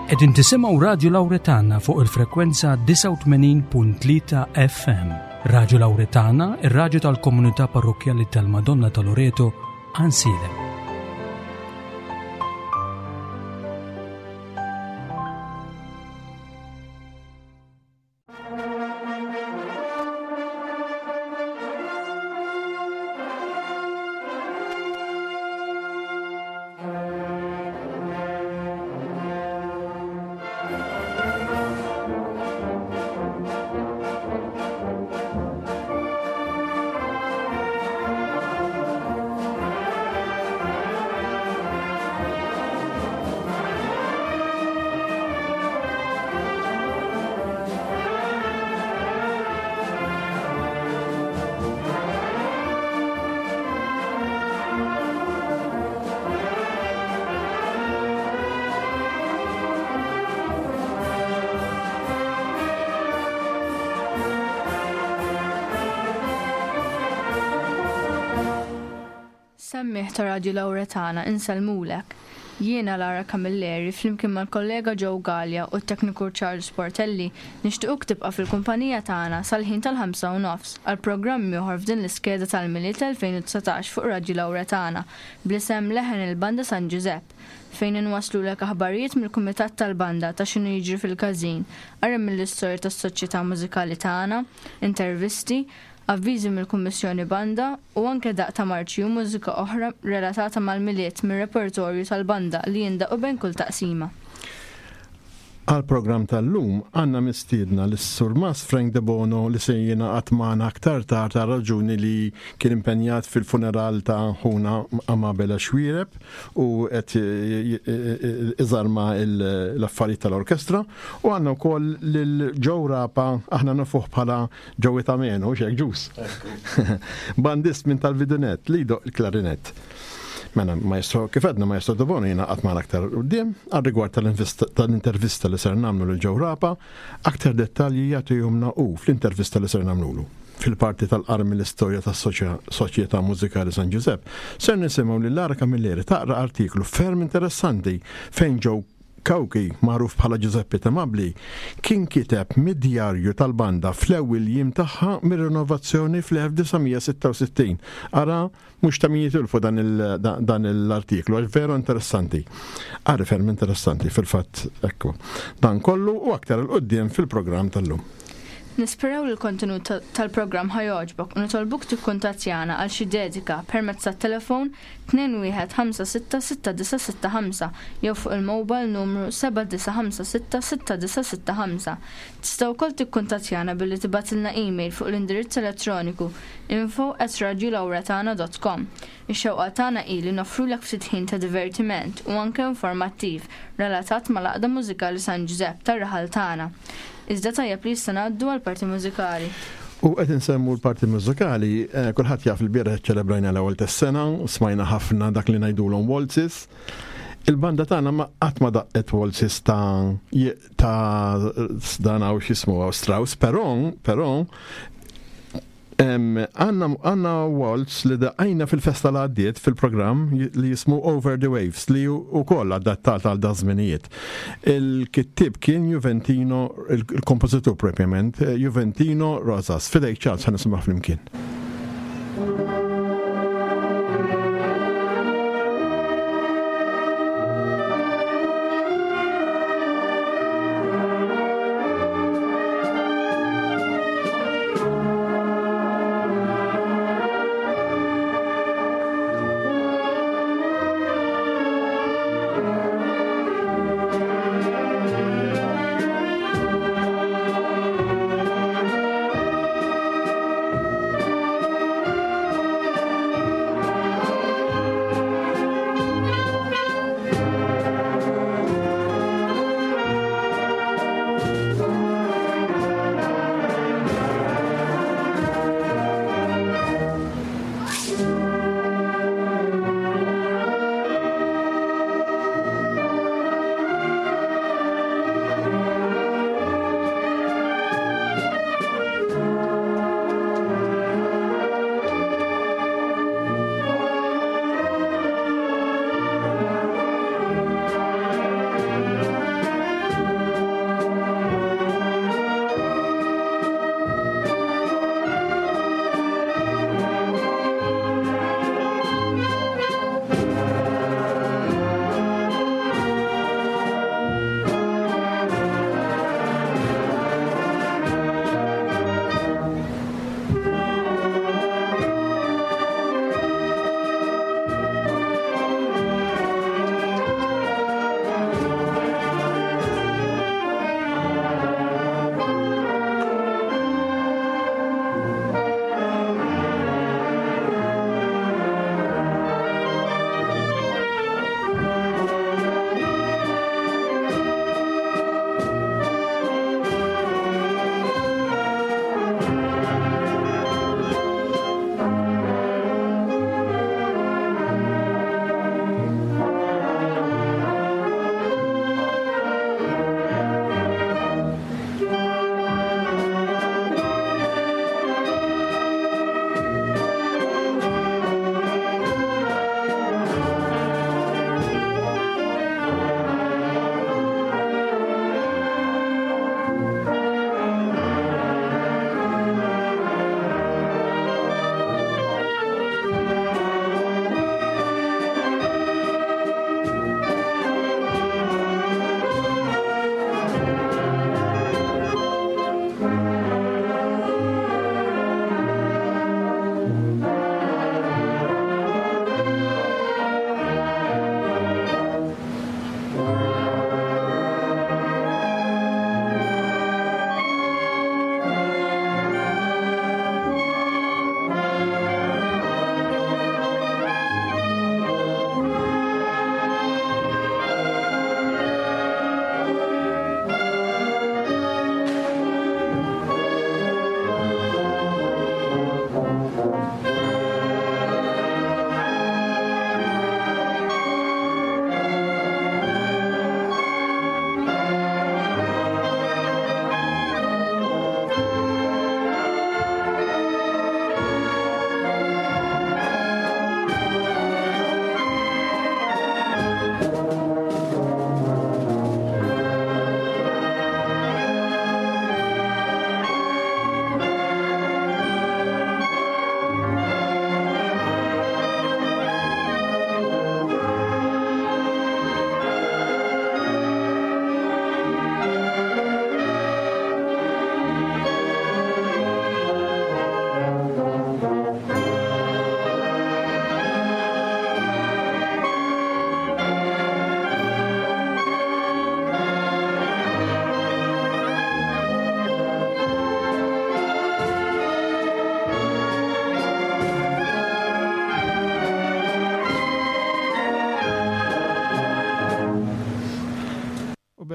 Qegħdin tisimgħu Radju Lawretana fuq il-frekwenza 89.3 FM. Radju Lawretana, ir-radju tal-komunità parrokkjali tal-Madonna ta' Loreto, Ansiedem. Semmiegħ ta' Radju Lawretana insellmulek. Jiena Lara Camilleri flimkien mal-kollega Joe Galea u t-tekniku Charles Portelli nixtiequk tibqa' fil-kumpanija tagħna sal-ħin tal-ħamsa u nofs għal programm ieħor f'din l-iskeda tal-Milied 2019 fuq Radju Lawretana bl-isem Leħen il-Banda San Ġużepp fejn inwasslulek aħbarijiet mill-Kumitat tal-Banda ta' x'inhu jiġri fil-każin, qari mill-istorja tas-Soċjetà Mużikali tagħna, intervisti, avviżi mill-Kummissjoni Banda u anke daqq ta' marċi u mużika oħra relatata mal-Milied mir-repertorju tal-banda li jindaqqu bejn kull taqsima. Għall-programm tal-lum għandna mistiedna lis-Surmast Frank Debono li se jingħaqad magħna aktar tard għal raġuni li kien impenjat fil-funeral ta' ħuna Amabela Xuereb u qed iżarma l-affarijiet tal-orkestra u għandna wkoll lil Joe Rapa aħna nafuh bħala Joey ta' Meno, xek ġus. Bandist minn tal-Vidunet li jdoq il-klarinett. Mela, maestro, kif għedna maestro Debono jina għatman aktar qudiem għal rigward tal-intervista li ser namlu lil Joe Rapa, aktar dettalji jagħtihomna u fl-intervista li ser namlulu. Fil-parti tal-qarmi l-istorja tas-Soċjetà Mużikali San Ġużepp, ser nisimgħu lil Lara Camilleri taqra artiklu ferm interessanti fejn Joe Cauchi, magħruf bħala Giuseppe Tamabbli, kien kiteb mid-djarju tal-banda fl-ewwel jiem tagħha mir-rinovazzjoni fl-1966. Ara, mhux ta' min jitilfu dan l-artiklu għax veru interessanti. Qari ferm interessanti fil-fatt ekku. Dan kollu u aktar 'il quddiem fil-programm tal-lum. Nisperaw li l-kontenut tal-programm ħa jogħġbok u nitolbuk tikkuntattjana għal xi dedika permezz tat-telefon 21566965 jew fuq il-mobile numru 79566965. Tista' wkoll tikkuntattjana billi tibgħatilna email fuq l-indirizz elettroniku info@radiolawratana.com. Ix-xewqa tagħna hi li noffrulek ftit ħin ta' divertiment u anke informattiv relatat mal-Għaqda Mużikali San Ġużepp tar-raħal tagħna. Iżda tajjeb li issa ngħaddu għall-parti mużikali. U qed insemmu l-parti mużikali, eh, kulħadd jaf il-bieraħ ċelebrajna l-ewwel tas-sena, smajna ħafna dak li ngħidulhom waltzes. Il-banda tagħna ma qatt ma daqqet waltzes ta' ta' dan hawn x'ismu Strauss, però però Għanna waltz li daqqajna fil-festa li għaddiet fil-programm li jismu Over the Waves li u koll adattat għal dażminijiet. Il-kittib kien Juventino, il-kompożitur propjament, Juventino Rosas. Fidejk Charles ħa nisimgħu flimkien.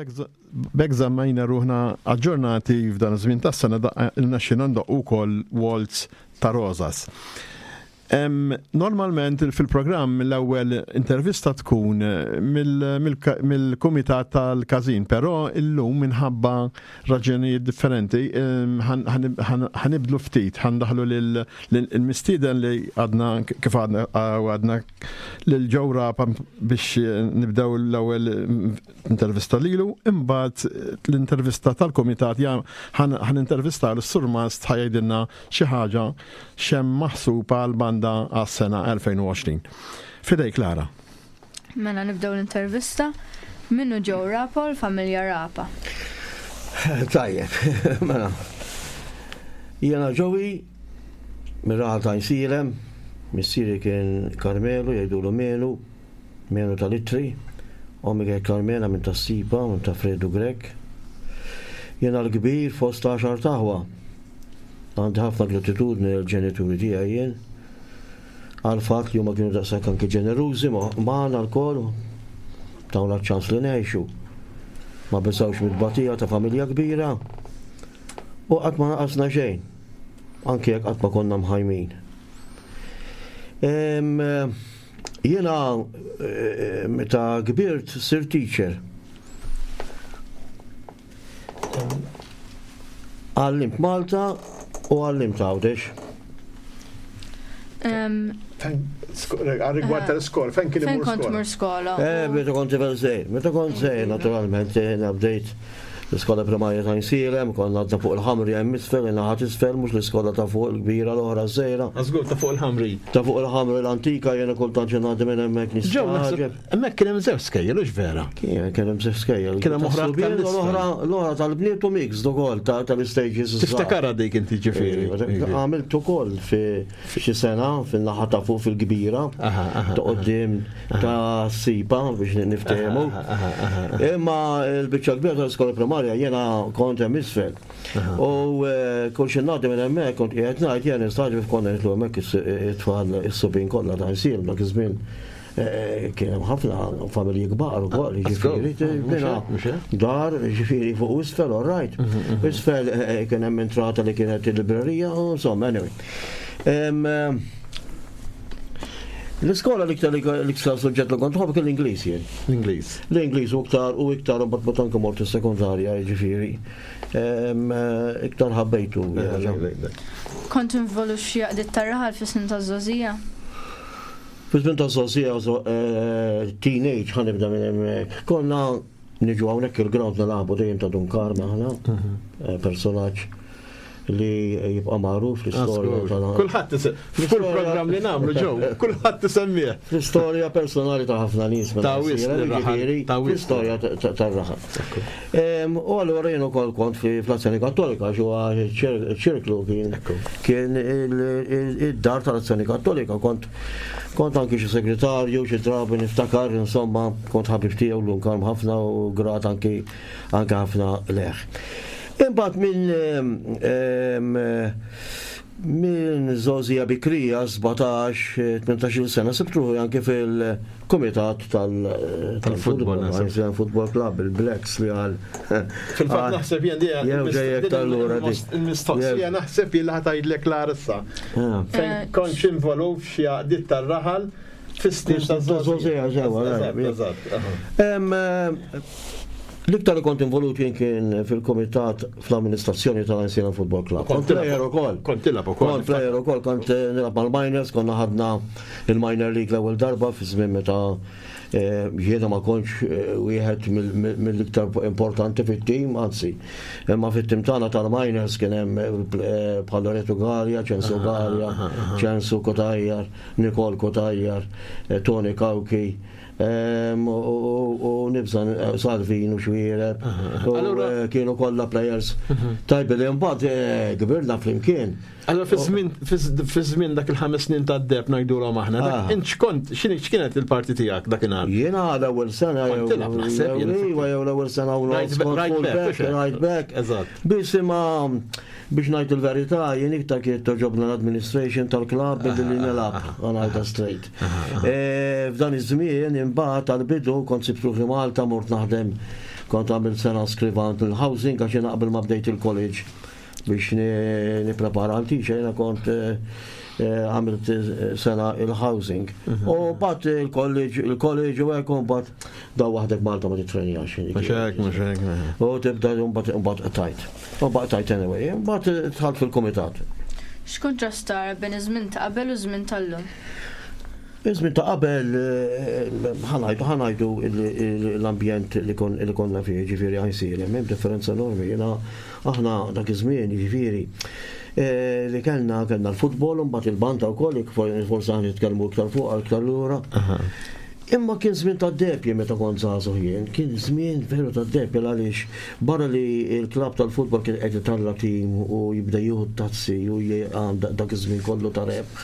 B'hekk żammejna ruħna aġġornati f'dan iż-żmien tas-sena irnexxielna ndoqqu wkoll Waltz ta' Rosas. Normalment fil-programm l-ewwel intervista tkun mill-kumitat tal-każin, però illum minħabba raġunijiet differenti ħanibdlu ftit, ħandaħlu lill-mistieden li għadna kif għadna lil Joe Rapa biex nibdew l-ewwel intervista lilu, imbagħad l-intervista tal-kumitat ħan intervista l-surmast ħajdilna xi ħaġa x'hemm maħsub għall-banda għas-sena 2020. Fidejk Lara. Mela nibdew l-intervista. Minnu Joe Rapa u l-familja Rapa. Tajjeb, mela. Jiena Joey, mir-raħal ta' Jsilem, missieri kien Karmelu, jgħidulu Melu, Menu tal-ittri, ommi kienet Karmena minn tas-Sipa, minn ta' Fredu Grech. Jiena l-kbir fost għaxart aħwa. Għandi ħafna gratitudni lill-ġenituri tiegħi jien għall-fatt li huma kienu daqshekk anki ġenerużi magħna lkoll, tawna ċ-ċans li ngħixu. Ma beżgħux mit-tbatija ta' familja kbira u qatt ma naqasna xejn, anki jekk qatt ma konna mħajmin. Jiena meta kbirt sirt teacher. Għallimt Malta u għallimt Għawdex. Għal-rigward tal-iskola, fejn kien imur skola? Fejn kont mur skola? Eh, meta kont tifel żgħir. Meta kont żgħir, naturalment, bdejt L-iskola primarja ta' Għajnsielem, konna għadna fuq il-Ħamri hemm isfel, in-naħa t'isfel, mhux l-iskola ta' fuq il-kbira l-oħra ż-żgħira. Żgur ta' fuq il-Ħamri. Ta' fuq il-Ħamri l-antika jiena kultant xi ngħaddi minn hemmhekk nistagħġeb. Hemmhekk kien hemm żewġ skejjel, hux vera? Kien hemm żewġ skejjel. Kien hemm oħra aktar l-oħra l-oħra tal-bniet u mixed ukoll tal-istages. Tiftakarha dik inti ġifieri. Għamilt ukoll fi xi sena fin-naħa ta' fuq fil-kbira ta' quddiem ta' sipa biex niftehmu. Imma l-biċċa kbira tal-iskola primarja jiena kont hemm isfel. U eh, kull xi ngħaddi minn hemmhekk kont qiegħed ngħid jien nistaġib konna nitlu hemmhekk it-tfal is-subien kollha ta' jsir dak iż-żmien eh, kien hemm ħafna familji kbar ukoll, jiġifieri dar, jiġifieri fuq isfel, all right. Mhm, mhm. Isfel eh, kien hemm entrata li kienet il-librerija, insomma, anyway. L-iskola l-iktar l-iktar suġġett li kont nħobb kien l-Ingliż jien. L-Ingliż. L-Ingliż u iktar u iktar u mbagħad anke mort is-sekondarja jiġifieri. Iktar ħabbejtu. Kont involut f'xi għaqdiet tar-raħal fis-snin taż-żgħożija? Fi żmien taż-żgħożija eh, teenage ħa nibda minn hemmhekk. Konna niġu hawnhekk il-ground nilagħbu dejjem ta' Dun Karm aħna, mhm. eh, personaġġ li jibqa' magħruf fl-istorja tal Kulħadd f'kull programm li nagħmlu ġew, kulħadd isemmih. Fl-istorja personali ta' ħafna nies ta' wisq ta' fl-istorja tar-raħal. U allura jien ukoll kont fl-Azzjoni Kattolika għax huwa ċirklu kien kien id-dar tal-Azzjoni Kattolika kont kont anki xi segretarju, xi drabi niftakar, insomma, kont ħabib tiegħu l kalm ħafna u grat anki anke ħafna leħ. Imbagħad minn minn żgħożija bikrija 17-18 sena sibt ruħi anke fil-kumitat tal-futbol, Football Club, il-Blacks li għal. Fil-fatt naħseb jien di il-mistoqsija naħseb jien li ħatajdlek l-arsa. Ah. Fejn eh. kontx involut f'xi għaqdiet tar-raħal fis-snin ta' żgħożija. L-iktar li kont involut jien kien fil-kumitat fl-amministrazzjoni tal-Għajnsielem Football Club. Kont player ukoll. Kont tilgħab ukoll. Kont player ukoll, kont eh, nilgħab mal-minors, konna ħadna il-minor league l-ewwel darba fi żmien meta eh, jiena ma kontx eh, wieħed mill-iktar importanti fit-tim, anzi, imma fit-tim tagħna tal-minors kien hemm bħal Loreto Gallia, Ċensu Gallia, Ċensu Kotajjar, Nikol Kotajjar, Tony Kawki. U nibża Salvin u Xwiereb. Eh, kienu kollha players mhm. tajbi li mbagħad eh, kbirna flimkien. Allora fi żmien dak il-ħames snin ta' deb ngħidulhom aħna, ah. int x'kont x'kienet il-parti tiegħek dakinhar? Jiena l-ewwel sena jew jew l-ewwel sena u right back, right back. Eżatt. Biss imma Biex ngħid il-verità, jien iktar kienet togħġobna l-administration tal-klabb milli li nilgħab, ħa ngħidha straight. E, f'dan iż-żmien imbagħad għall-bidu kont sibt ruħi Malta mort naħdem. Kont għamilt sena skrivant il-housing għax jiena qabel ma bdejt il-college biex nipprepara għal teacher jiena kont eh, eh, għamilt sena il-housing. Mhm. U bat il-college, il-college u hekk u bat daw waħdek Malta ma titrenjax. Mhux hekk, mhux hekk. U tibda mbagħad tajt. U mbagħad tajt anyway, mbagħad dħalt fil-kumitat. X'kuntrast tara bejn iż-żmien ta' qabel u ż-żmien tal-lum? Iż-żmien ta' qabel ħa ngħidu ħa ngħidu l-ambjent li konna fih, jiġifieri Għajnsielem, hemm differenza enormi. Jiena aħna dak iż-żmien jiġifieri li kellna kellna l-futbol u mbagħad il-banda wkoll, forsi aħna nitkellmu iktar fuqha iktar lura. Imma kien żmien tad-deheb jien meta kont żagħżugħ jien, kien żmien veru tad-deheb għaliex barra li l-klabb tal-futbol kien qed italla' tim u jibda jieħu t-tazzi u dak iż-żmien kollu ta' rebħ.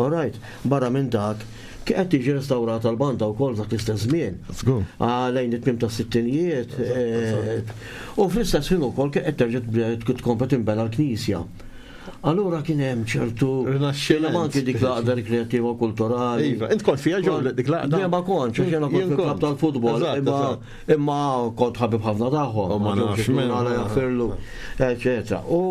All right, barra minn dak, kien qed tiġi restawrata l-banda wkoll f'dak l-istess żmien. Żgur. Ah, lejn it-tmiem tas-sittinijiet. Eh, u fl-istess ħin ukoll kien qed terġa' tkompli tinbena l-knisja. Allura kien hemm ċertu Rinaxximent. anki dik l-għaqda rikreattiva u kulturali. Iva, int kont fiha ġew dik l-għaqda? Le ma kontx, għax jiena kont fil-klabb tal-futbol, imma imma kont ħabib ħafna tagħhom. U ma nafx min. Jaffirlu, eċetera. U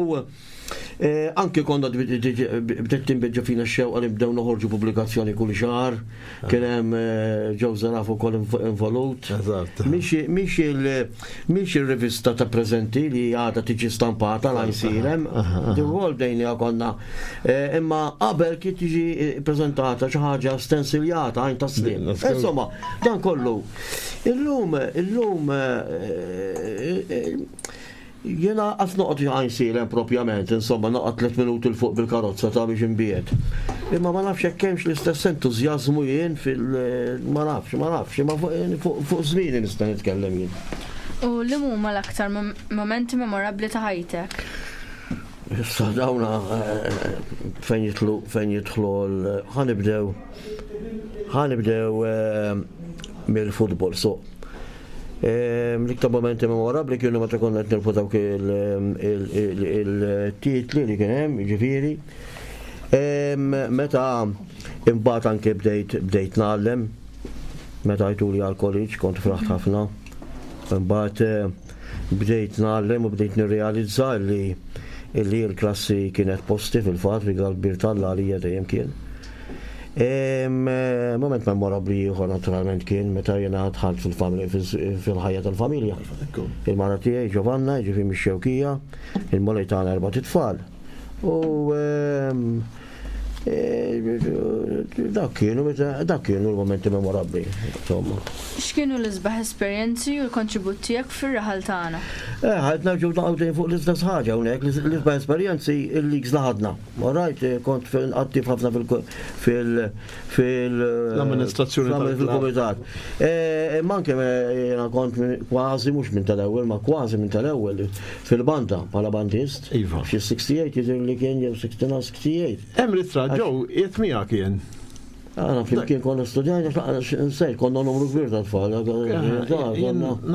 Eh, anki konna bdiet tinbidġa fina x-xewqa li bdew noħorġu pubblikazzjoni kull xahar, kien hemm eh, Joe Zaraf ukoll involut. Mhix il-rivista ta' preżenti li għadha tiġi stampata l jsirem, ukoll bdejna konna. Eh, imma qabel kien tiġi preżentata xi ħaġa stensiljata għajn ta' slim. Insomma, dan kollu. Illum, illum Jiena qas noqgħod Għajnsielem propjament, insomma noqgħod tliet minuti 'l fuq bil-karozza ta' biex inbiegħed. Imma ma nafx jekk hemmx l-istess entużjażmu jien fil ma nafx, ma nafx, imma fuq żmieni nista' nitkellem jien. U liem huma l-aktar mumenti memorabbli ta' ħajtek? Issa dawna fejn jidħlu fejn jidħlu ħa nibdew ħa nibdew mill-futbol so. L-iktar momenti memorabbli kienu meta konna qed nilfu dawk il-titli li kien hemm, jiġifieri. Meta imbagħad anke bdejt bdejt ngħallem, meta għajtuli għall-college kont fraħt ħafna. Imbagħad eh, bdejt ngħallem u bdejt nirrealizza li li l-klassi kienet posti fil-fatt, rigal kbir t'Alla għalija dejjem kien. Moment memorabbli ieħor naturalment kien meta jiena dħalt fil-ħajja tal-familja. Il-mara tiegħi Giovanna, jiġifieri mix-Xewkija, il-Mulej tagħna erbat itfal. U dak kienu dak kienu l-momenti memorabbli, insomma. X'kienu l-isbaħ esperjenzi u l-kontribut tiegħek fir-raħal tagħna? Eh, ħajt nerġgħu naqgħu fuq l-istess ħaġa hawnhekk, l-isbaħ esperjenzi il-leagues li ħadna. All right, eh, kont attiv ħafna fil- fil- fil- L-amministrazzjoni fil-komitat. Eh, imma anke eh, jiena kont kważi mhux minn tal-ewwel, ma kważi minn tal-ewwel fil-banda bħala bandist. Iva. Xi 68 jidher li kien jew 69 68. Hemm ritratt ġew qiegħed miegħek jien. Aħna flimkien konna studjajna, nsejt, konna numru kbir ta' tfal.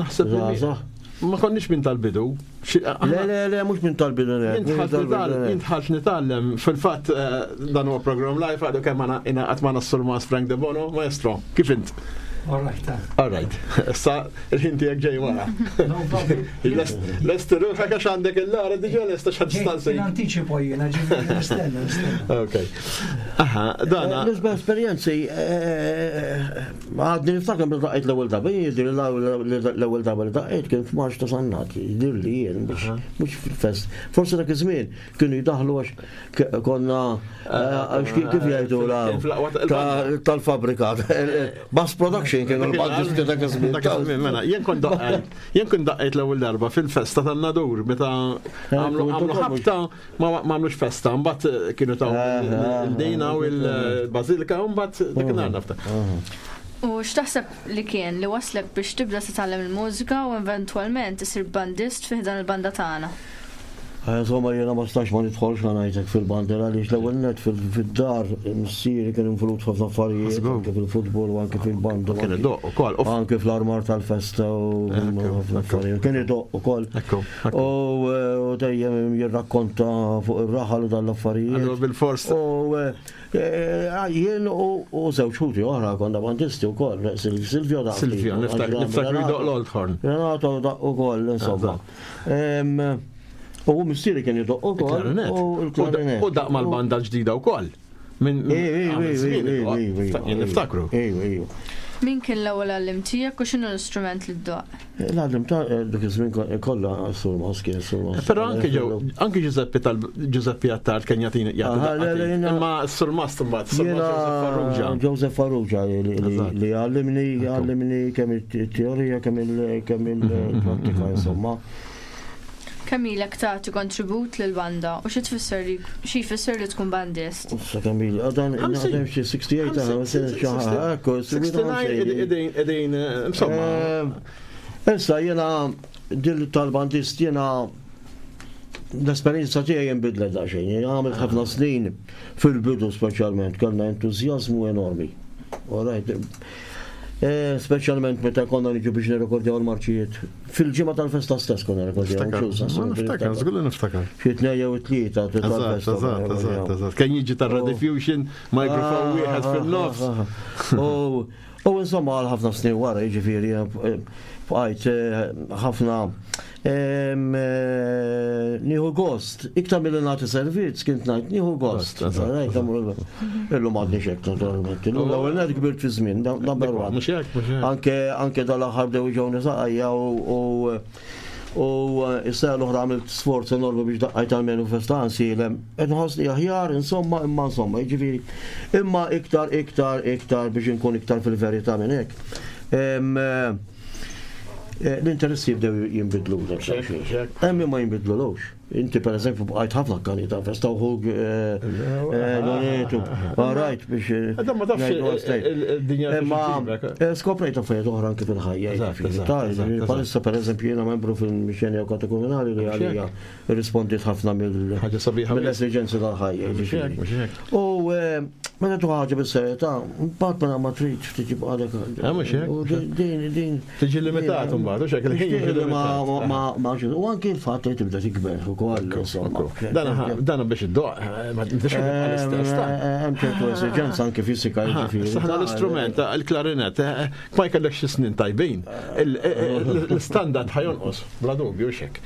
Naħseb ma konniex minn tal-bidu. Le, le, le, mhux minn tal-bidu. Jien dħalt nitgħallem, fil-fatt eh, dan huwa program live għadu kemm ingħaqad magħna s-Surmas Frank De Bono, maestro, kif int? All right. All right. Issa il-ħin tiegħek ġej wara. Lest ruħek għax għandek il-lara diġà lesta x'ħad tistaqsi. Anticipo jiena ġifieri nistenna, nistenna. Ok. Aha, dana. Eh, l-isbaħ esperjenzi eh, għadni niftakar meta daqqejt l-ewwel darba, jidhirli l-ewwel darba li daqqejt kien f'Marċ ta' Sannat, jidhirli jien mhux fil-fest. Forsi dak iż-żmien kienu jdaħlu għax konna eh, kif jgħidu tal-fabrika. Mass production kienu l-bandisti dak iż-żmien. Dak iż-żmien mela, jien kont daqqejt, jien kont daqqejt l-ewwel darba fil-festa tan-Nadur meta għamlu ħabta ma għamlux festa, mbagħad eh, kienu taw eh, il-dina u l-bazilika u mbagħad dak inhar nafta. U x'taħseb li kien li waslek biex tibda titgħallem il-mużika u eventwalment isir bandist fi dan il-banda tagħna? Insomma jiena ma stax ma nidħolx ħa ngħidlek fil-bandera għaliex l-ewwel nett fid-dar missieri kien involut f'ħafna affarijiet, anke fil-futbol u anke fil-banda. Kien idoqq ukoll. Anke fl-armar tal-festa u ħafna affarijiet. Kien idoqq ukoll. U dejjem jirrakkonta fuq ir-raħal u dan l-affarijiet. Allura bil-fors. U jien u żewġ ħuti oħra konna bandisti wkoll, Silvio daqq. Silvio, niftakar jdoqq l-old horn. Renato daqq ukoll, insomma. U missieri kien idoqq ukoll. U l-klarinet. U daqq mal-banda l-ġdida wkoll. Minn niftakru. Min kien l-ewwel għalliem tiegħek u x'inhu l-istrument li ddoqq? L-għalliem ta' dak iż-żmien kollha surmas kien surmas. Però anke ġew anke Giuseppe tal Giuseppe Attard kien jagħtini jagħti. Imma surmas imbagħad surmas Joseph Farrugia. Joseph Farrugia li għallimni għallimni kemm it-teorija kemm il-prattika insomma. Kemm ilek tagħti kontribut lill-banda u xi tfisser li xi jfisser li tkun bandist? Issa kemm ili, għadan naħdem xi 68 ta' 69 qegħdin insomma. Issa jiena dil tal-bandist jiena l-esperjenza tiegħi inbidlet daqsxejn. Jiena għamilt ħafna snin fil-bidu speċjalment kellna entużjażmu enormi. All right. Speċjalment meta konna niġu biex nirrekordjaw il-marċijiet. Fil-ġimgħa tal-festa stess konna nirrekordjaw. Niftakar, żgur li niftakar. Xi tnejn jew tlieta tal-festa. Eżatt, eżatt, eżatt. Kien jiġi tar-Rediffusion, microphone wieħed fil-nofs. U insomma għal ħafna snin wara, jiġifieri bqajt ħafna Nieħu gost, iktar milli nagħti servizz kint ngħid nieħu gost. Illum għadni xek naturalment. Illum l-ewwel net kbirt fi żmien, number one. Anke anke dal-aħħar bdew ġewni saqajja u u s-sena l-oħra għamilt sforz enormi biex daqqajt għalmenu festa nsielem. Qed nħossni aħjar, insomma, imma insomma, jiġifieri. Imma iktar, iktar, iktar biex inkun iktar fil-verità minn hekk. L-interessi jibdew jinbidlu. Hemm ma jinbidlulux. Inti per eżempju bqajt ħafna kani ta' festa uħug Loretu. Rajt biex. Ma tafx il-dinja. Ma skoprejt affarijiet oħra anke fil-ħajja. Palissa per eżempju jiena membru fil-mixjenja katekumenali li għalija Irrispondiet ħafna mill-esiġenzi tal-ħajja. U eh, meta tu ħaġa bis-serjetà, mbagħad mela ma trid ftit jibqa' dak. Eh, mhux hekk. Din din. Tiġi limitat mbagħad, hux hekk il-ħin jiġi limitat. Ma ma u anki l-fatt li tibda tikber ukoll insomma. Dan biex iddoq, eh, ma tibdax l-istess. Hemm ċertu esiġenza anke fisika jiġifieri. Saħna l-istrument, il-klarinet, ma jkellekx xi snin tajbin, l-standard ħajonqos, bla dubju xek.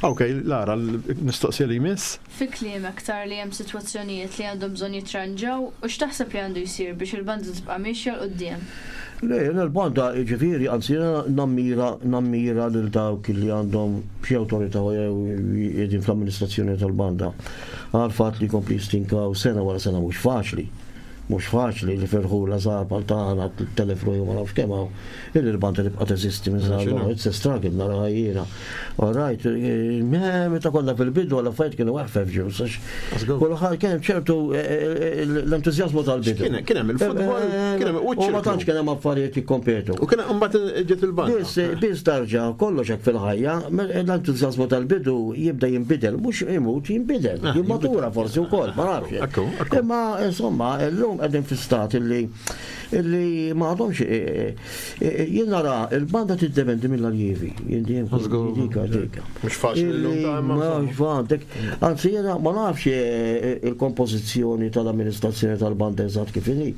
Ok, Lara, l-mistoqsija li jmiss. Fi kliemek tara li hemm sitwazzjonijiet li għandhom bżonn jitranġaw u x'taħseb li għandu jsir biex il-banda tibqa' miexja 'l quddiem? Le, jiena l-banda, jiġifieri, anzi jiena nammira, nammira lil dawk li għandhom xi awtorità jew qegħdin fl-amministrazzjoni tal-banda għall-fatt li jkompli jistinkaw sena wara sena mhux faċli. Mhux faċli li f'irħula żgħar bħal tagħna, 3000 ruħi u ma nafx kemm hawn, illi l-banda tibqa' teżisti minn żgħar l-oħra. It's a struggle naraha jiena. All right, meta konna fil-bidu l-affarijiet kienu eħfef ġew, sax kulħadd kien hemm ċertu l-entużjażmu tal-bidu. Kien hemm il-futbol, kien hemm U ma tantx kien hemm affarijiet jikkompetu. U kien hemm mbagħad ġiet il-banda. Biss biss tarġa' kollox hekk fil-ħajja, l-entużjażmu tal-bidu jibda jinbidel, mhux imut jinbidel, jimmatura forsi wkoll, ma nafx. Imma insomma, illum qegħdin fi stat illi illi ma għadhomx e, e, e, jien nara il-banda tiddependi mill-aljievi. Jien dejjem dika dika. Mhux faċli llum ta' imma. Mhux faċli. Anzi jiena ma nafx il-kompożizzjoni tal-amministrazzjoni tal-banda eżatt kif inhi.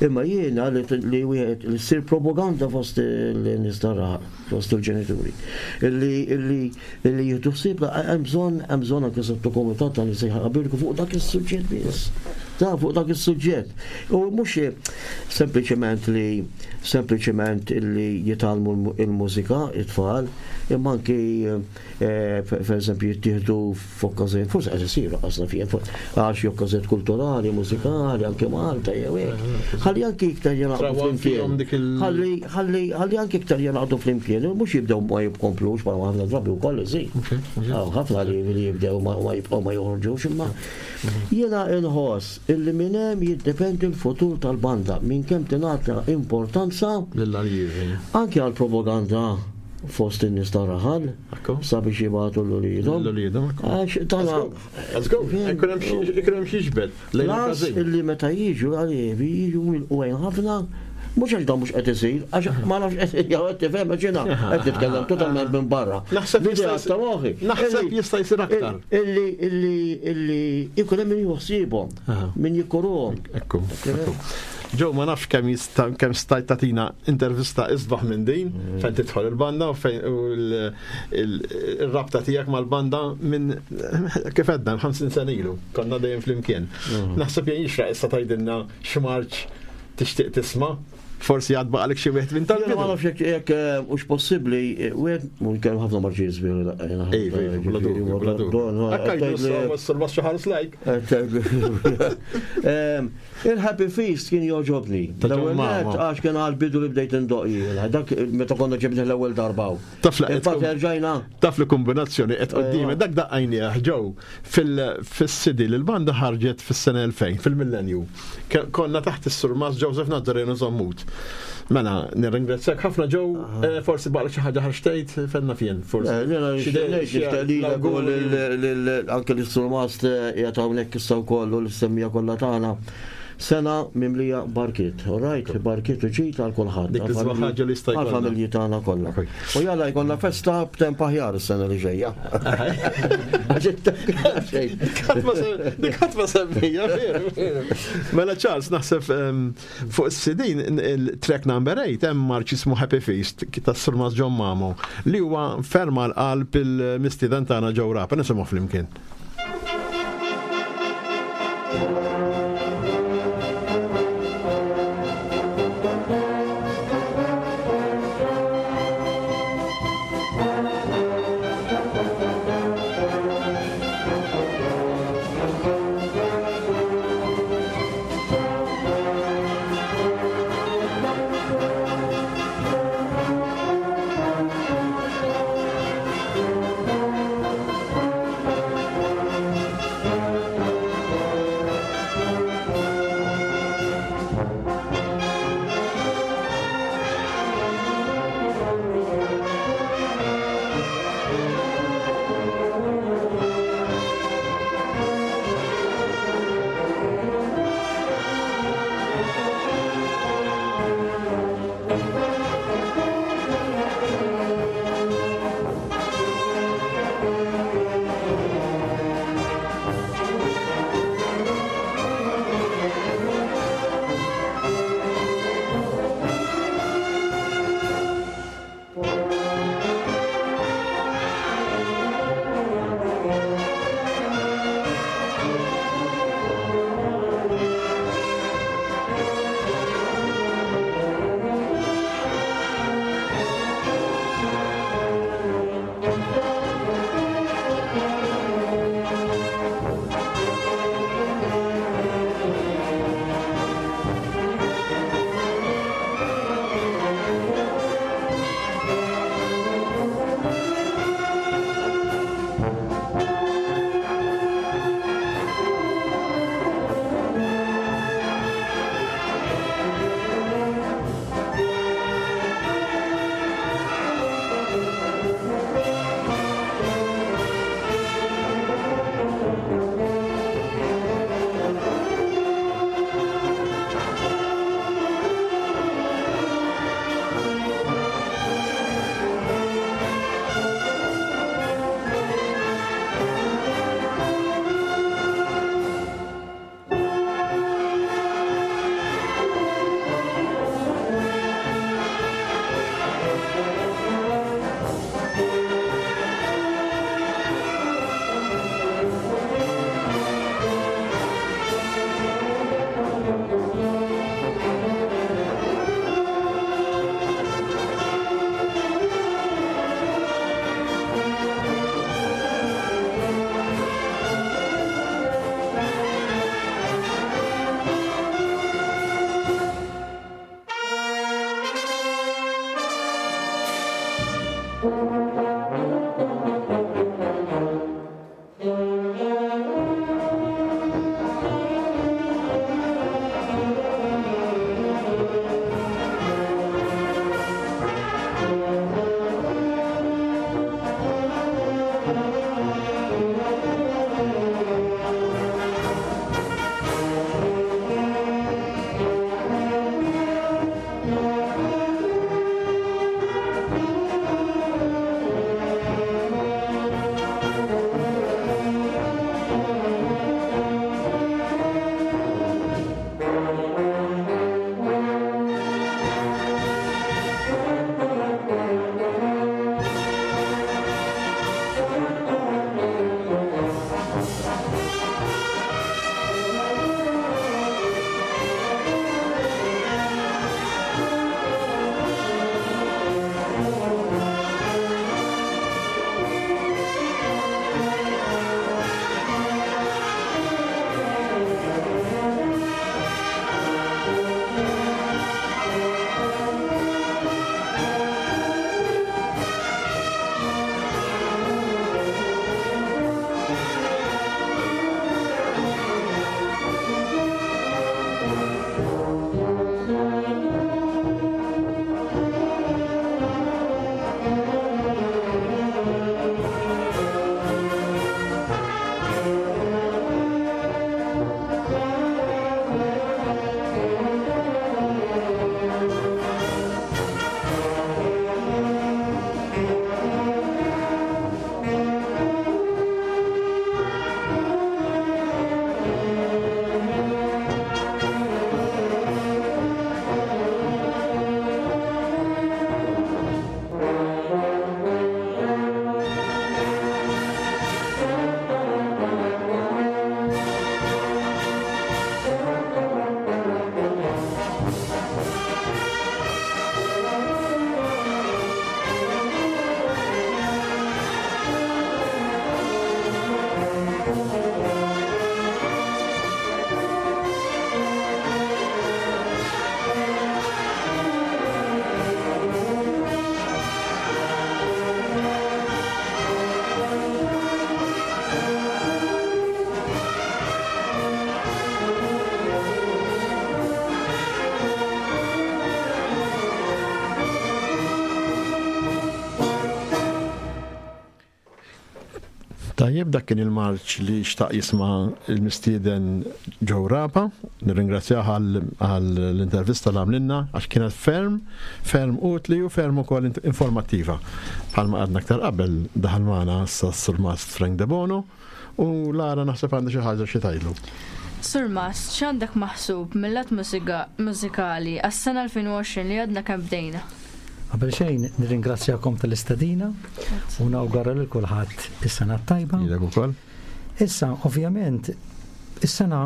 Imma jiena li wieħed li ssir propaganda fost il-nies fost il-ġenituri. Illi illi Illi jieħdu ħsieb hemm bżonn hemm bżonn anke sottokumitat ta' nies jħabirku fuq dak is-suġġett biss. Ta' fuq dak is-suġġett. U mhux sempliċement li sempliċement illi jitgħallmu il-mużika it-tfal, imma anki eh, per eżempju jittieħdu f'okkażjonijiet, forsi qed isiru qasna fih, għal xi okkażjonijiet kulturali, mużikali, anke Malta jew hekk. Ħalli anki iktar jingħaqdu flimkien. Ħalli ħalli ħalli anki iktar jingħaqdu flimkien, u mhux jibdew ma jibkomplux bħal ħafna drabi wkoll isir. Hawn ħafna li jibdew ma jibqgħu ma joħorġux imma jiena inħoss illi minn hemm jiddependi l-futur tal-banda minn kemm tingħata importanza lill-aljievi. Anke għall-propaganda. fost in-nies ta' raħal sabiex jibgħatu l-uliedhom. L-uliedhom. Għax tana. Let's go. Ikun hemm xi jiġbed. Las illi meta jiġu l-għalievi jiġu milqugħin ħafna mhux għax dan mhux qed isir, għax ma nafx qed jew qed tifhem għax jiena qed nitkellem totalment minn barra. Naħseb L-idea ta' moħħi. Naħseb jista' jsir aktar. Illi illi illi ikun hemm min jieħu ħsiebhom, min jikkuruhom. Ekku. Joe, ma nafx kemm jista' kemm stajt tagħtina intervista isbaħ minn din mm. fejn tidħol il-banda u fejn il-rabta tiegħek mal-banda minn kif għedna 50 sena ilu, konna dejjem flimkien. Mm. Naħseb jien jixraq issa tgħidilna x'marċ tixtieq tisma' forsi għad baqalek xi wieħed minn tal Ma nafx jekk jekk eh, hux possibbli eh, wieħed mhux kemm ħafna marġijiet sbieħ daqqa. Iva, iva, bla dubju, bla dubju. Hekk jgħidu s-surmas xi ħares lajk. Eh, Il-Happy Feast kien jogħġobni. L-ewwel nett għax kien għal bidu li bdejt indoq jien. Dak meta konna ġibnih l-ewwel darba. Taf li erġajna. Taf li kombinazzjoni qed qudiemi dak daqqajnieh ġew fis-CD li l-banda ħarġet fis-sena 2000 fil-millenju. Konna taħt is-surmas Joseph Nazareno Zammut. Mela, nirringrazzjak ħafna ġew, eh, forsi baqgħek xi ħaġa ħarxtejt fenna fien, forsi. Eh, anke l-surmast eh, qiegħed hawnhekk issa wkoll u l-semmija kollha tagħna. Sena mimlija barkiet, all right, barkiet u ġid għal kulħadd. Dik l-isbaħ ħaġa li jista' jkollna. Għall-familji tagħna kollha. U jalla jkollna festa b'temp aħjar is-sena li ġejja. Dik ħadd ma semmija, veru. Mela Charles, naħseb ehm, Fuq is-CD il-track number 8 hemm marċ jismu Happy Feast tas-Sur Mas John Mamo li huwa ferm għal qalb il-mistieden tagħna Joe Rapa nisimgħu flimkien. Tajjeb, dak kien il-marċ li xtaq jisma' l-mistieden Joe Rapa. Nirringrazzjah għall-intervista li għamlilna għax kienet ferm, ferm utli u ferm ukoll informattiva. Bħalma għadna aktar qabel daħal magħna issa s-Surmast Frank Debono u Lara naħseb għandha xi ħaġa xi tgħidlu. Surmast, x'għandek maħsub mil-lat mużikali għas-sena 2020 li għadna kemm bdejna? Qabel xejn nirringrazzjakom tal-istedina u nawgura lil kulħadd is-sena t-tajba. Lilek ukoll. Issa, ovvjament, is-sena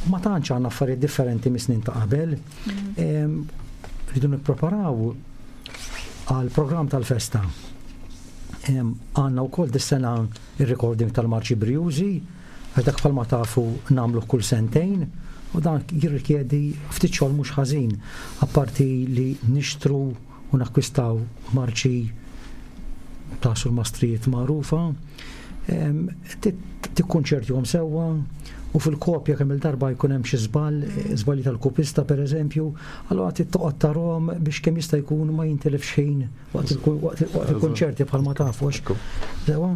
ma tantx għandna affarijiet differenti mis-snin ta' qabel. Mhm. Rridu nippreparaw għal programm tal-festa. Għandna wkoll dis-sena ir-recording tal-Marċi Brijużi, Għax dak bħalma tafu nagħmluh kull sentejn u dan jirrikjedi ftit xogħol mhux ħażin, apparti li nixtru u nakkwistaw marċi ta' surmastrijiet magħrufa, tikkunċertihom sewwa u fil-kopja kemm il-darba jkun hemm xi żball, żbalji tal-kopista pereżempju, allura trid toqgħod tarahom biex kemm jista' jkun ma jintilifx ħin waqt il-konċerti bħalma tafu. Sewa,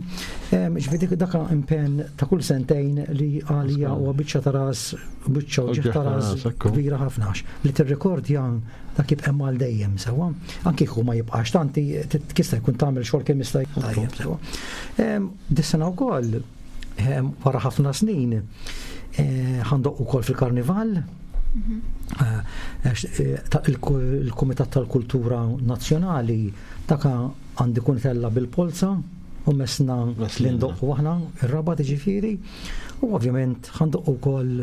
ġifieri dak impenn ta' kull sentejn li għalija huwa biċċa ta' ras, biċċa uġigħ ta' ras kbira ħafna li tirrekordja dak jibqa' hemm għal dejjem sewwa. Anki kieku ma jibqax tanti tista' jkun tagħmel xogħol kemm jista' jkun tajjeb sewwa. Dis-sena wkoll wara ħafna snin eh, ħandoq ukoll fil-karnival. Mhm. Eh, eh, il-Kumitat tal-Kultura Nazzjonali taka għandi kun tella bil-polza u mesna li ndoqqu aħna ir-Rabat ġifieri u ovvjament ħandoqqu wkoll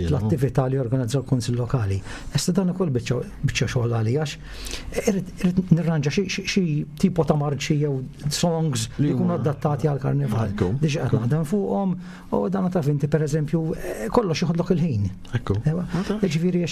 l-attività li organizza l-Kunsill Lokali. Issa dan ukoll biċċa xogħol għalija għax irrid nirranġa xi tipo ta' marċi jew songs li jkunu adattati għal karnival. Diġà qed naħdem fuqhom u dan taf inti pereżempju eh, kollox joħodlok il-ħin. Ekku. Ġifieri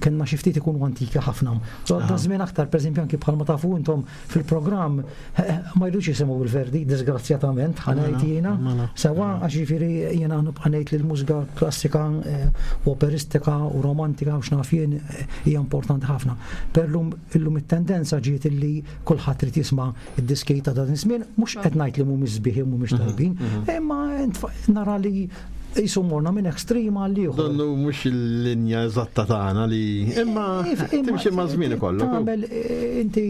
kellna xi ftit ikunu antiki ħafna. Da żmien aktar pereżempju anki bħalma tafu intom fil-programm eh, eh, ma jridux jisimgħu il-Verdi, disgrazzjatament, ħanajt jiena. Sewa għax ġifieri jiena nibqa' ngħid li l-mużika klassika u operistika u romantika u x'naf jien hija importanti ħafna. Per illum it-tendenza ġiet illi kulħadd trid jisma' id-diski ta' dan iż-żmien, mhux qed ngħid li mhumiex sbieħ mhumiex mhm, tajbin, mhm. imma nara li jisu morna minn ekstrem għal ieħor. Donnu mhux il-linja eżatta tagħna li imma timxi ma' żmien ikollok. Tagħmel eh, inti